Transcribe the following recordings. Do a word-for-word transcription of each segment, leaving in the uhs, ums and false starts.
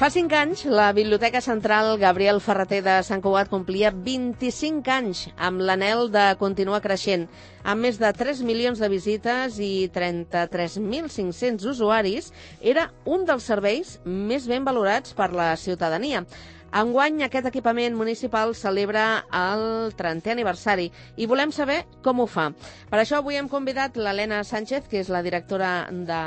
Fa cinc anys, la Biblioteca Central Gabriel Ferrater de Sant Cugat complia vint-i-cinc anys amb l'anhel de continuar creixent. Amb més de tres milions de visites i trenta-tres mil cinc-cents usuaris, era un dels serveis més ben valorats per la ciutadania. Enguany, aquest equipament municipal celebra el trentè aniversari i volem saber com ho fa. Per això avui hem convidat l'Helena Sánchez, que és la directora de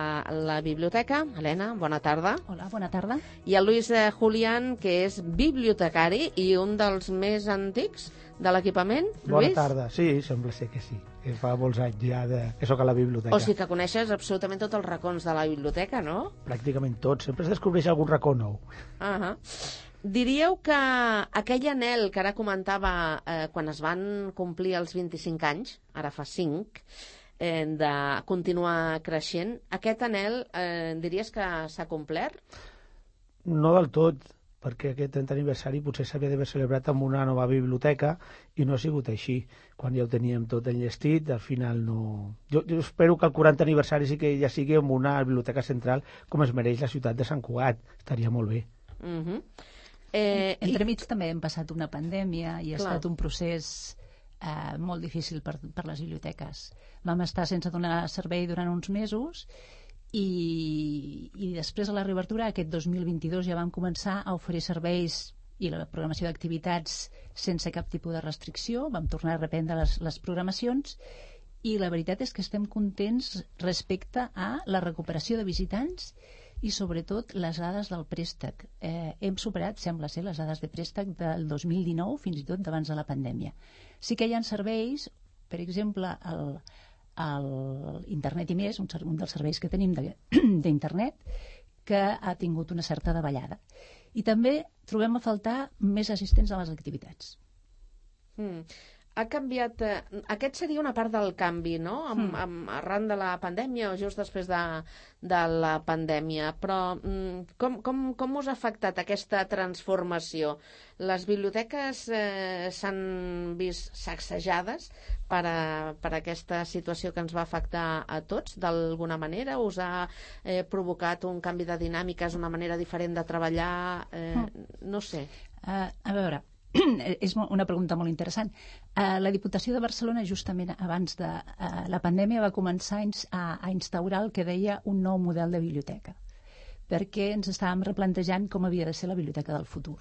la biblioteca. Helena, bona tarda. Hola, bona tarda. I el Luis Julián, que és bibliotecari i un dels més antics de l'equipament. Bona Luis? tarda. Sí, sembla ser que sí. Que fa molts anys ja de... que soc a la biblioteca. O sigui que coneixes absolutament tots els racons de la biblioteca, no? Pràcticament tots. Sempre es descobreix algun racó nou. Uh -huh. Diríeu que aquell anhel que ara comentava eh, quan es van complir els vint-i-cinc anys, ara fa cinc, eh, de continuar creixent, aquest anhel eh, diries que s'ha complert? No del tot, perquè aquest trentè aniversari potser s'havia d'haver celebrat amb una nova biblioteca i no ha sigut així. Quan ja ho teníem tot enllestit, al final no... Jo, jo espero que el quarantè aniversari sí que ja sigui amb una biblioteca central com es mereix la ciutat de Sant Cugat. Estaria molt bé. Uh -huh. Eh, Entremig i... també hem passat una pandèmia i ha Clar. estat un procés eh, molt difícil per, per les biblioteques. Vam estar sense donar servei durant uns mesos i, i després de la reobertura, aquest dos mil vint-i-dos, ja vam començar a oferir serveis i la programació d'activitats sense cap tipus de restricció. Vam tornar a reprendre les, les programacions i la veritat és que estem contents respecte a la recuperació de visitants i sobretot les dades del préstec. Eh, hem superat, sembla ser, les dades de préstec del dos mil dinou, fins i tot d'abans de la pandèmia. Sí que hi ha serveis, per exemple, el, el Internet i més, un, un dels serveis que tenim d'internet, que ha tingut una certa davallada. I també trobem a faltar més assistents a les activitats. Mm. Ha canviat... Eh, aquest seria una part del canvi, no? Amb, Mm. amb, arran de la pandèmia o just després de, de la pandèmia. Però mm, com, com, com us ha afectat aquesta transformació? Les biblioteques eh, s'han vist sacsejades per, a, per aquesta situació que ens va afectar a tots, d'alguna manera? Us ha eh, provocat un canvi de dinàmiques, una manera diferent de treballar? Eh, mm. No sé. Uh, a veure... és una pregunta molt interessant. Uh, la Diputació de Barcelona, justament abans de uh, la pandèmia, va començar a, a instaurar el que deia un nou model de biblioteca, perquè ens estàvem replantejant com havia de ser la biblioteca del futur.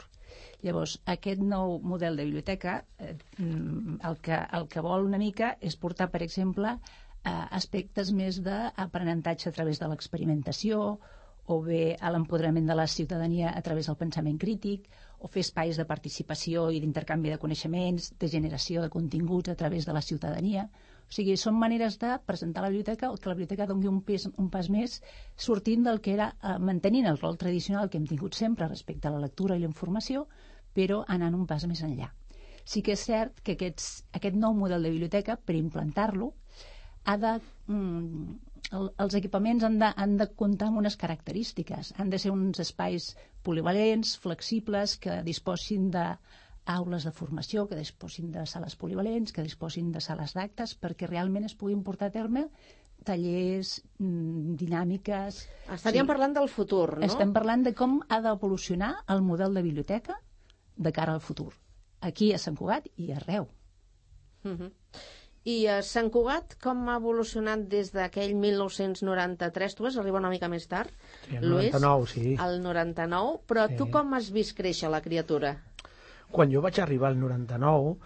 Llavors, aquest nou model de biblioteca eh, el, que, el que vol una mica és portar, per exemple, uh, aspectes més d'aprenentatge a través de l'experimentació, o bé a l'empoderament de la ciutadania a través del pensament crític, o fer espais de participació i d'intercanvi de coneixements, de generació de continguts a través de la ciutadania. O sigui, són maneres de presentar la biblioteca o que la biblioteca doni un, pes, un pas més sortint del que era, eh, mantenint el rol tradicional que hem tingut sempre respecte a la lectura i la informació, però anant un pas més enllà. Sí que és cert que aquests, aquest nou model de biblioteca, per implantar-lo, ha de... Mm, el, els equipaments han de, han de comptar amb unes característiques. Han de ser uns espais polivalents, flexibles, que disposin d'aules de formació, que disposin de sales polivalents, que disposin de sales d'actes, perquè realment es puguin portar a terme tallers, dinàmiques... Estaríem sí. parlant del futur, no? Estem parlant de com ha d'evolucionar el model de biblioteca de cara al futur. Aquí a Sant Cugat i arreu. Uh -huh. I a Sant Cugat, com ha evolucionat des d'aquell mil nou-cents noranta-tres? Tu vas arribar una mica més tard, sí, el Luis, noranta-nou, sí. El noranta-nou, però sí. Tu com has vist créixer la criatura? Quan jo vaig arribar al noranta-nou,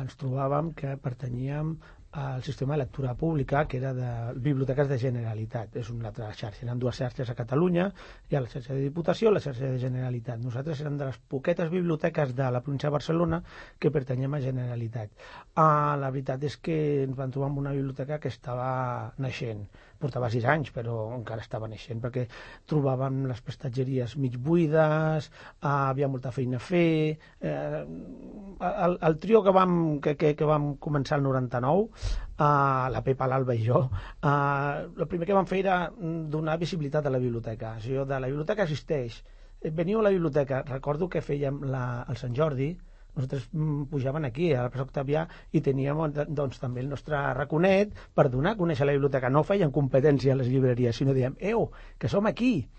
ens trobàvem que pertanyíem al sistema de lectura pública, que era de biblioteques de Generalitat. És una altra xarxa. Eren dues xarxes a Catalunya. Hi ha la xarxa de Diputació i la xarxa de Generalitat. Nosaltres érem de les poquetes biblioteques de la província de Barcelona que pertanyem a Generalitat. Uh, la veritat és que ens vam trobar amb una biblioteca que estava naixent. Portava sis anys, però encara estava naixent, perquè trobàvem les prestatgeries mig buides, uh, havia molta feina a fer... Uh, el, el trio que vam, que, que, que vam començar el noranta-nou, Uh, la Pepa, l'Alba i jo, uh, el primer que vam fer era donar visibilitat a la biblioteca. O sigui, de la biblioteca existeix. Veniu a la biblioteca. Recordo que fèiem la, el Sant Jordi, nosaltres pujaven aquí, a la plaça Octavià, i teníem doncs, també el nostre raconet per donar a conèixer la biblioteca. No feien competència a les llibreries, sinó diem, eu, que som aquí.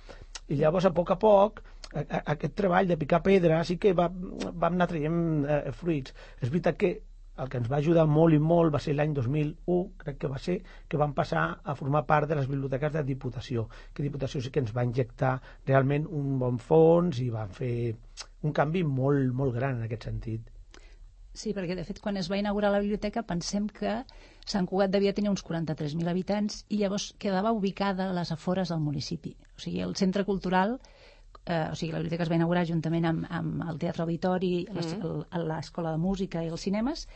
I llavors, a poc a poc, a, a, aquest treball de picar pedra sí que va, vam anar traient eh, fruits. És veritat que el que ens va ajudar molt i molt va ser l'any dos mil u, crec que va ser, que vam passar a formar part de les biblioteques de Diputació, que Diputació sí que ens va injectar realment un bon fons i va fer un canvi molt, molt gran en aquest sentit. Sí, perquè de fet quan es va inaugurar la biblioteca pensem que Sant Cugat devia tenir uns quaranta-tres mil habitants i llavors quedava ubicada a les afores del municipi. O sigui, el centre cultural, eh, o sigui, la biblioteca es va inaugurar juntament amb, amb el Teatre Auditori, mm. l'Escola de Música i els cinemes,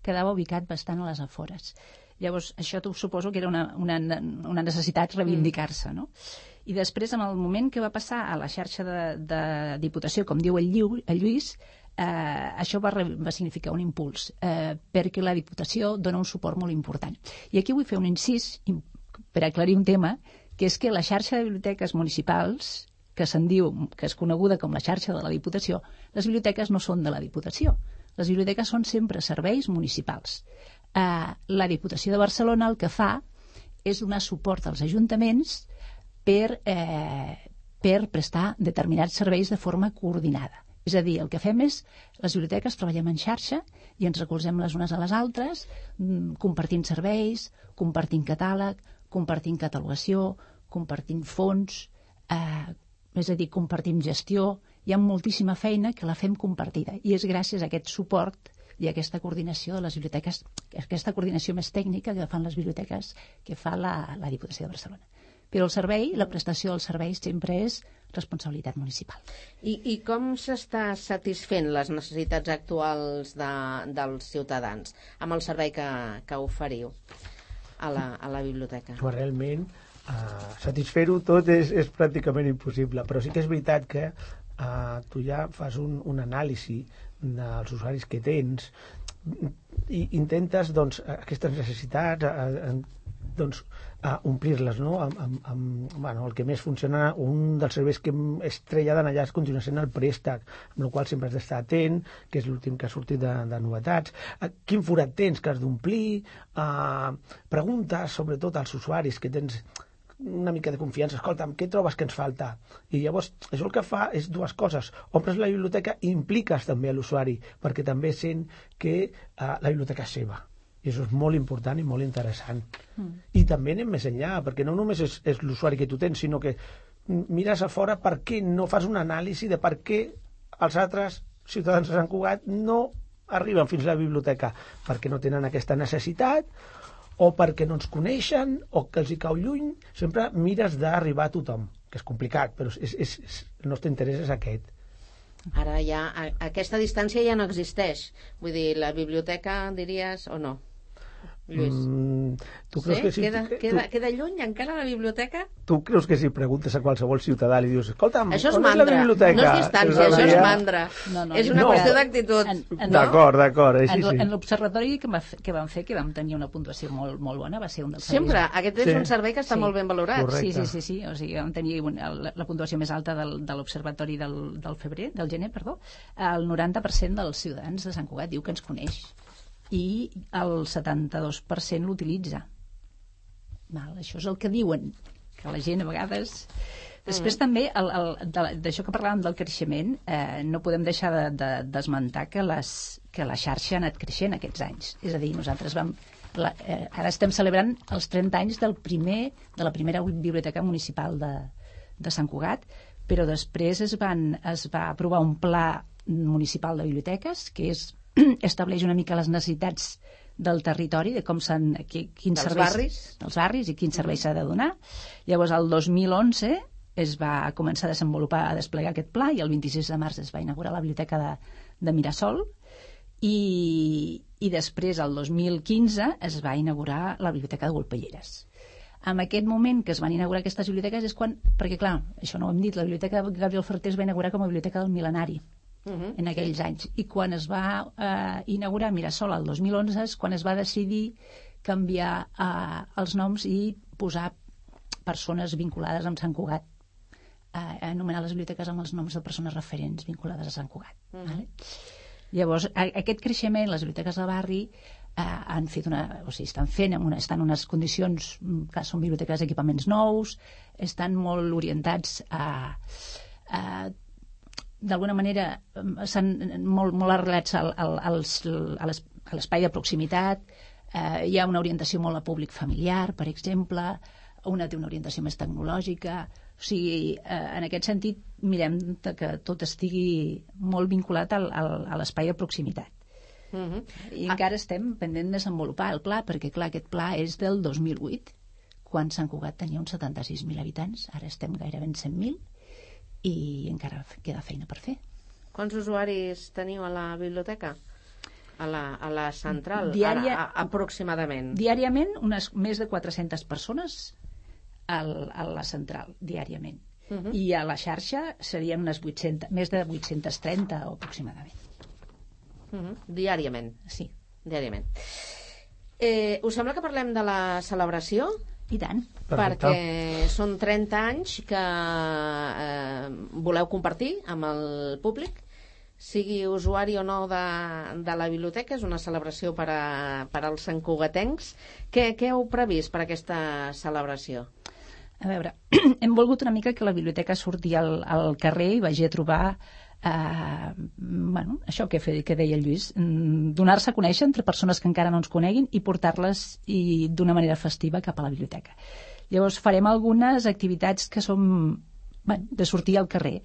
quedava ubicat bastant a les afores. Llavors, això suposo que era una, una, una necessitat reivindicar-se, no? I després, en el moment que va passar a la xarxa de, de Diputació, com diu el, Lliu, el Lluís, eh, això va, va significar un impuls, eh, perquè la Diputació dona un suport molt important. I aquí vull fer un incís per aclarir un tema, que és que la xarxa de biblioteques municipals, que se'n diu, que és coneguda com la xarxa de la Diputació, les biblioteques no són de la Diputació. Les biblioteques són sempre serveis municipals. Eh, la Diputació de Barcelona el que fa és donar suport als ajuntaments per, eh, per prestar determinats serveis de forma coordinada. És a dir, el que fem és, les biblioteques treballem en xarxa i ens recolzem les unes a les altres, compartint serveis, compartint catàleg, compartint catalogació, compartint fons, eh, és a dir, compartim gestió. Hi ha moltíssima feina que la fem compartida i és gràcies a aquest suport i a aquesta coordinació de les biblioteques, aquesta coordinació més tècnica que fan les biblioteques que fa la, la Diputació de Barcelona. Però el servei, la prestació dels serveis sempre és responsabilitat municipal. I, i com s'està satisfent les necessitats actuals de, dels ciutadans amb el servei que, que oferiu a la, a la biblioteca? Però realment, uh, satisfer-ho tot és, és pràcticament impossible, però sí que és veritat que uh, tu ja fas un, un anàlisi dels usuaris que tens i intentes doncs, aquestes necessitats uh, doncs, a omplir-les, no? Amb, amb, amb, bueno, el que més funciona, un dels serveis que estrella d'allà es continua sent el préstec, amb el qual sempre has d'estar atent, que és l'últim que ha sortit de, de novetats. Quin forat tens que has d'omplir? Uh, preguntes, sobretot als usuaris, que tens una mica de confiança. Escolta'm, què trobes que ens falta? I llavors, això el que fa és dues coses. Omples la biblioteca i impliques també a l'usuari, perquè també sent que uh, la biblioteca és seva. I això és molt important i molt interessant. Mm. I també anem més enllà, perquè no només és, és l'usuari que tu tens, sinó que mires a fora per què no fas una anàlisi de per què els altres ciutadans de Sant Cugat no arriben fins a la biblioteca, perquè no tenen aquesta necessitat, o perquè no ens coneixen, o que els hi cau lluny. Sempre mires d'arribar a tothom, que és complicat, però és, és, és, el nostre interès és aquest. Ara ja, aquesta distància ja no existeix. Vull dir, la biblioteca, diries, o no? Lluís. Mm, tu creus sí? que si, queda, tu, queda, queda lluny encara la biblioteca? Tu creus que si preguntes a qualsevol ciutadà li dius, escolta'm, això és on mandra, és la biblioteca? No és distància, això és mandra. No, no, és una no. qüestió d'actitud. D'acord, d'acord. Sí, en sí. en l'observatori que, que vam fer, que vam tenir una puntuació molt, molt bona, va ser un dels Sempre, serveis. aquest és sí. un servei que està sí. molt ben valorat. Correcte. Sí, sí, sí, sí. O sigui, vam tenir una, la, la puntuació més alta del, de l'observatori del, del febrer, del gener, perdó. El noranta per cent dels ciutadans de Sant Cugat diu que ens coneix i el setanta-dos per cent l'utilitza. Val, això és el que diuen, que la gent a vegades... Després mm. també, el, el, d'això que parlàvem del creixement, eh, no podem deixar de, de, d'esmentar que, les, que la xarxa ha anat creixent aquests anys. És a dir, nosaltres vam... La, eh, ara estem celebrant els trenta anys del primer, de la primera biblioteca municipal de, de Sant Cugat, però després es, van, es va aprovar un pla municipal de biblioteques que és, estableix una mica les necessitats del territori, de com s'han... Quins dels serveis, barris. Dels barris i quins serveis s'ha de donar. Llavors, el dos mil onze es va començar a desenvolupar, a desplegar aquest pla, i el vint-i-sis de març es va inaugurar la biblioteca de, de Mirasol, i, i després, el dos mil quinze, es va inaugurar la biblioteca de Golpelleres. En aquest moment que es van inaugurar aquestes biblioteques és quan... Perquè, clar, això no ho hem dit, la biblioteca de Gabriel Ferrater es va inaugurar com a biblioteca del mil·lenari, Uh -huh. en aquells anys, i quan es va eh, inaugurar Mirasol el dos mil onze és quan es va decidir canviar eh, els noms i posar persones vinculades amb Sant Cugat, eh, anomenar les biblioteques amb els noms de persones referents vinculades a Sant Cugat. Uh -huh. Vale? Llavors, a, aquest creixement, les biblioteques del barri, eh, han fet una, o sigui, estan fent, en una, estan en unes condicions, que són biblioteques d'equipaments nous, estan molt orientats a, a d'alguna manera, estan molt, molt arrelats al, al, als, a l'espai de proximitat, eh, hi ha una orientació molt a públic familiar, per exemple, una té una orientació més tecnològica, o sigui, eh, en aquest sentit mirem que tot estigui molt vinculat al, al, a l'espai de proximitat. Uh-huh. I ah. encara estem pendent de desenvolupar el pla, perquè clar, aquest pla és del dos mil vuit, quan Sant Cugat tenia uns setanta-sis mil habitants, ara estem gairebé en cent mil, i encara queda feina per fer. Quants usuaris teniu a la biblioteca? A la, a la central, Diària, ara, a, aproximadament? Diàriament, unes més de quatre-centes persones al, a la central, diàriament. Uh-huh. I a la xarxa serien unes vuit-centes, més de vuit-centes trenta aproximadament. Uh-huh. Diàriament? Sí. Diàriament. Eh, us sembla que parlem de la celebració? I tant. Perfecte. Perquè són trenta anys que eh, voleu compartir amb el públic, sigui usuari o no de, de la biblioteca. És una celebració per, a, per als santcugatencs. Què, què heu previst per aquesta celebració? A veure, hem volgut una mica que la biblioteca surti al, al carrer i vagi a trobar Uh, bueno, això que, fe, que deia el Lluís, donar-se a conèixer entre persones que encara no ens coneguin i portar-les i d'una manera festiva cap a la biblioteca. Llavors farem algunes activitats que són, bueno, de sortir al carrer.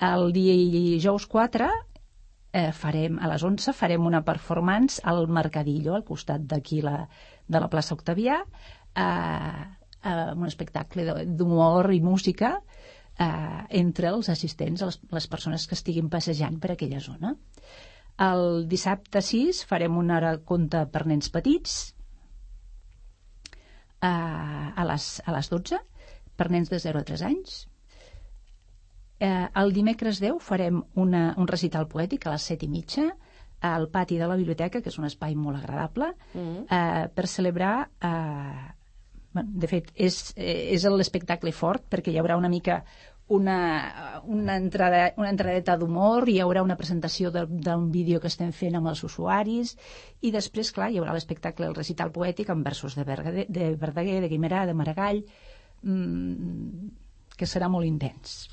El dijous quatre eh, farem, a les onze farem una performance al Mercadillo, al costat d'aquí la, de la plaça Octavià, eh, eh, un espectacle d'humor i música Uh, entre els assistents, les, les persones que estiguin passejant per aquella zona. El dissabte sis farem una hora conte per nens petits uh, a, les, a les dotze, per nens de zero a tres anys. Uh, el dimecres deu farem una, un recital poètic a les set i mitja al pati de la biblioteca, que és un espai molt agradable, mm. uh, per celebrar... Uh, de fet, és, és l'espectacle fort, perquè hi haurà una mica una, una, entrada, una entradeta d'humor, hi haurà una presentació d'un vídeo que estem fent amb els usuaris, i després, clar, hi haurà l'espectacle, el recital poètic amb versos de, Verdaguer, de Verdaguer, de Guimerà, de Maragall, mmm, que serà molt intens.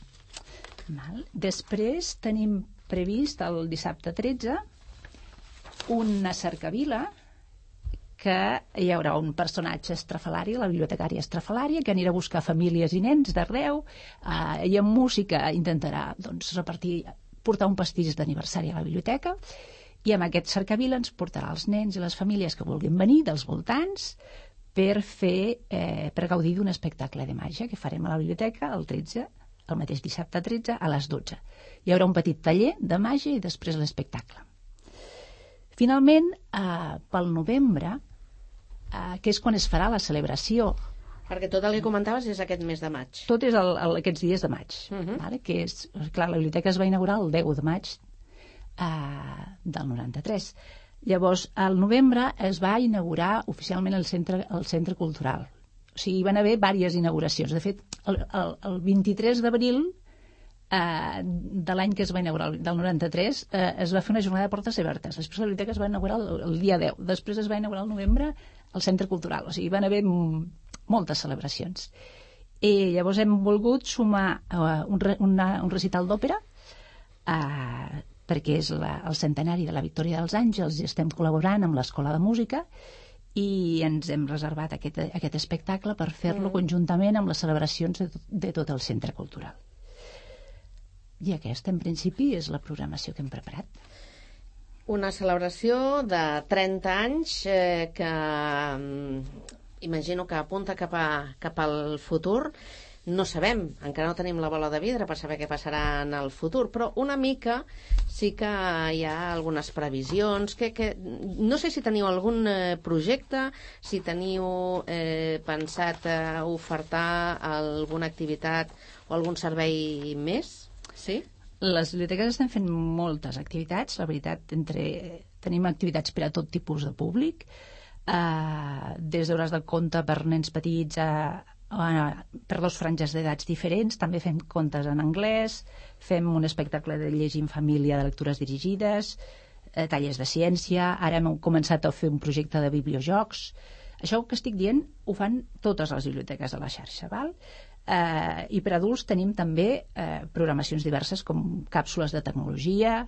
Val. Després tenim previst el dissabte tretze una cercavila, que hi haurà un personatge estrafalari, la bibliotecària estrafalària, que anirà a buscar famílies i nens d'arreu, eh, i amb música intentarà doncs, repartir, portar un pastís d'aniversari a la biblioteca, i amb aquest cercavila ens portarà els nens i les famílies que vulguin venir dels voltants per fer, eh, per gaudir d'un espectacle de màgia que farem a la biblioteca el tretze, el mateix dissabte tretze a les dotze. Hi haurà un petit taller de màgia i després l'espectacle. Finalment, eh, pel novembre, eh, que és quan es farà la celebració... Perquè tot el que comentaves és aquest mes de maig. Tot és el, el, aquests dies de maig. Uh-huh. Vale? Que és, clar, la biblioteca es va inaugurar el deu de maig eh, del noranta-tres. Llavors, al novembre es va inaugurar oficialment el centre, el centre cultural. O sigui, hi van haver diverses inauguracions. De fet, el, el, el vint-i-tres d'abril Uh, de l'any que es va inaugurar, del noranta-tres, uh, es va fer una jornada de portes obertes. Després la biblioteca es va inaugurar el, el dia deu. Després es va inaugurar al novembre el centre cultural. O sigui, van haver m- moltes celebracions. I llavors hem volgut sumar uh, un, re, una, un recital d'òpera, uh, perquè és la, el centenari de la Victòria dels Àngels i estem col·laborant amb l'Escola de Música, i ens hem reservat aquest, aquest espectacle per fer-lo mm. conjuntament amb les celebracions de, de tot el centre cultural. I aquesta, en principi, és la programació que hem preparat. Una celebració de trenta anys eh, que eh, imagino que apunta cap, a, cap al futur. No sabem, encara no tenim la bola de vidre per saber què passarà en el futur, però una mica sí que hi ha algunes previsions. Que, que, no sé si teniu algun eh, projecte, si teniu eh, pensat eh, ofertar alguna activitat o algun servei més. Sí? Les biblioteques estem fent moltes activitats, la veritat, entre, tenim activitats per a tot tipus de públic, eh, des d'hores de conte per nens petits a, a, per dos franges d'edats diferents, també fem contes en anglès, fem un espectacle de llegir en família de lectures dirigides, eh, tallers de ciència, ara hem començat a fer un projecte de bibliojocs. Això que estic dient ho fan totes les biblioteques de la xarxa, val? Eh, i per adults tenim també eh, programacions diverses com càpsules de tecnologia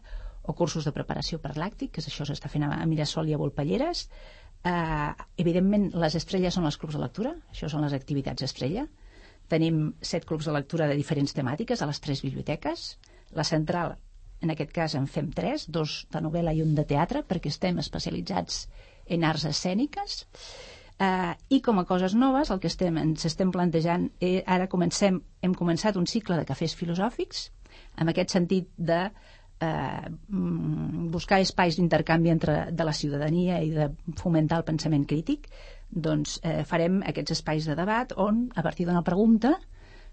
o cursos de preparació per làctic, que això s'està fent a Mirasol i a Volpelleres. Eh, evidentment, les estrelles són els clubs de lectura, això són les activitats estrella. Tenim set clubs de lectura de diferents temàtiques a les tres biblioteques. La central, en aquest cas, en fem tres, dos de novel·la i un de teatre, perquè estem especialitzats en arts escèniques. Uh, I com a coses noves, el que estem, ens estem plantejant, eh, ara comencem, hem començat un cicle de cafès filosòfics, en aquest sentit de eh, buscar espais d'intercanvi entre de la ciutadania i de fomentar el pensament crític. Doncs eh, farem aquests espais de debat on, a partir d'una pregunta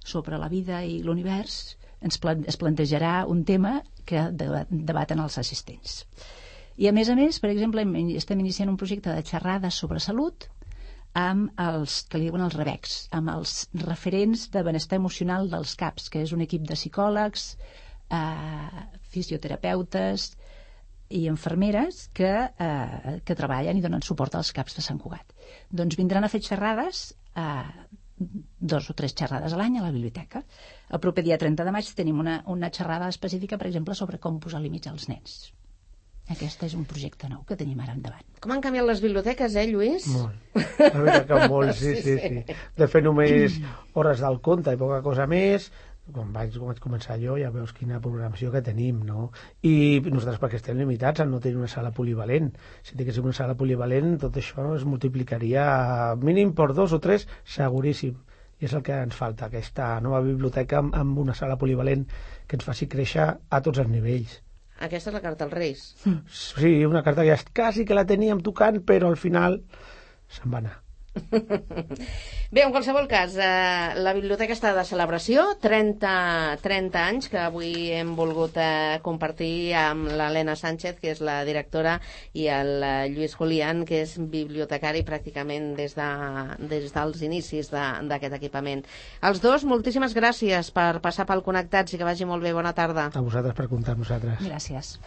sobre la vida i l'univers, ens plan es plantejarà un tema que debaten els assistents. I a més a més, per exemple, estem iniciant un projecte de xerrades sobre salut amb els que li diuen els rebecs, amb els referents de benestar emocional dels CAPs, que és un equip de psicòlegs, eh, fisioterapeutes i infermeres que, eh, que treballen i donen suport als CAPs de Sant Cugat. Doncs vindran a fer xerrades, eh, dos o tres xerrades a l'any a la biblioteca. El proper dia trenta de maig tenim una, una xerrada específica, per exemple, sobre com posar límits als nens. Aquest és un projecte nou que tenim ara endavant. Com han canviat les biblioteques, eh, Lluís? Molt. La veritat que molt, sí, sí, sí. De fer només hores del conte i poca cosa més. Quan vaig, quan vaig començar jo ja veus quina programació que tenim, no? I nosaltres perquè estem limitats a no tenir una sala polivalent. Si tinguéssim una sala polivalent, tot això es multiplicaria mínim per dos o tres, seguríssim. I és el que ens falta, aquesta nova biblioteca amb, amb una sala polivalent que ens faci créixer a tots els nivells. Aquesta és la carta als Reis. Sí, una carta que ja quasi que la teníem tocant, però al final se'n va anar. Bé, en qualsevol cas, eh, la biblioteca està de celebració, trenta, trenta anys que avui hem volgut eh, compartir amb l'Helena Sánchez, que és la directora, i el eh, Lluís Julián, que és bibliotecari pràcticament des, de, des dels inicis d'aquest equipament. Els dos, moltíssimes gràcies per passar pel Connectats i que vagi molt bé. Bona tarda. A vosaltres per comptar amb nosaltres. Gràcies.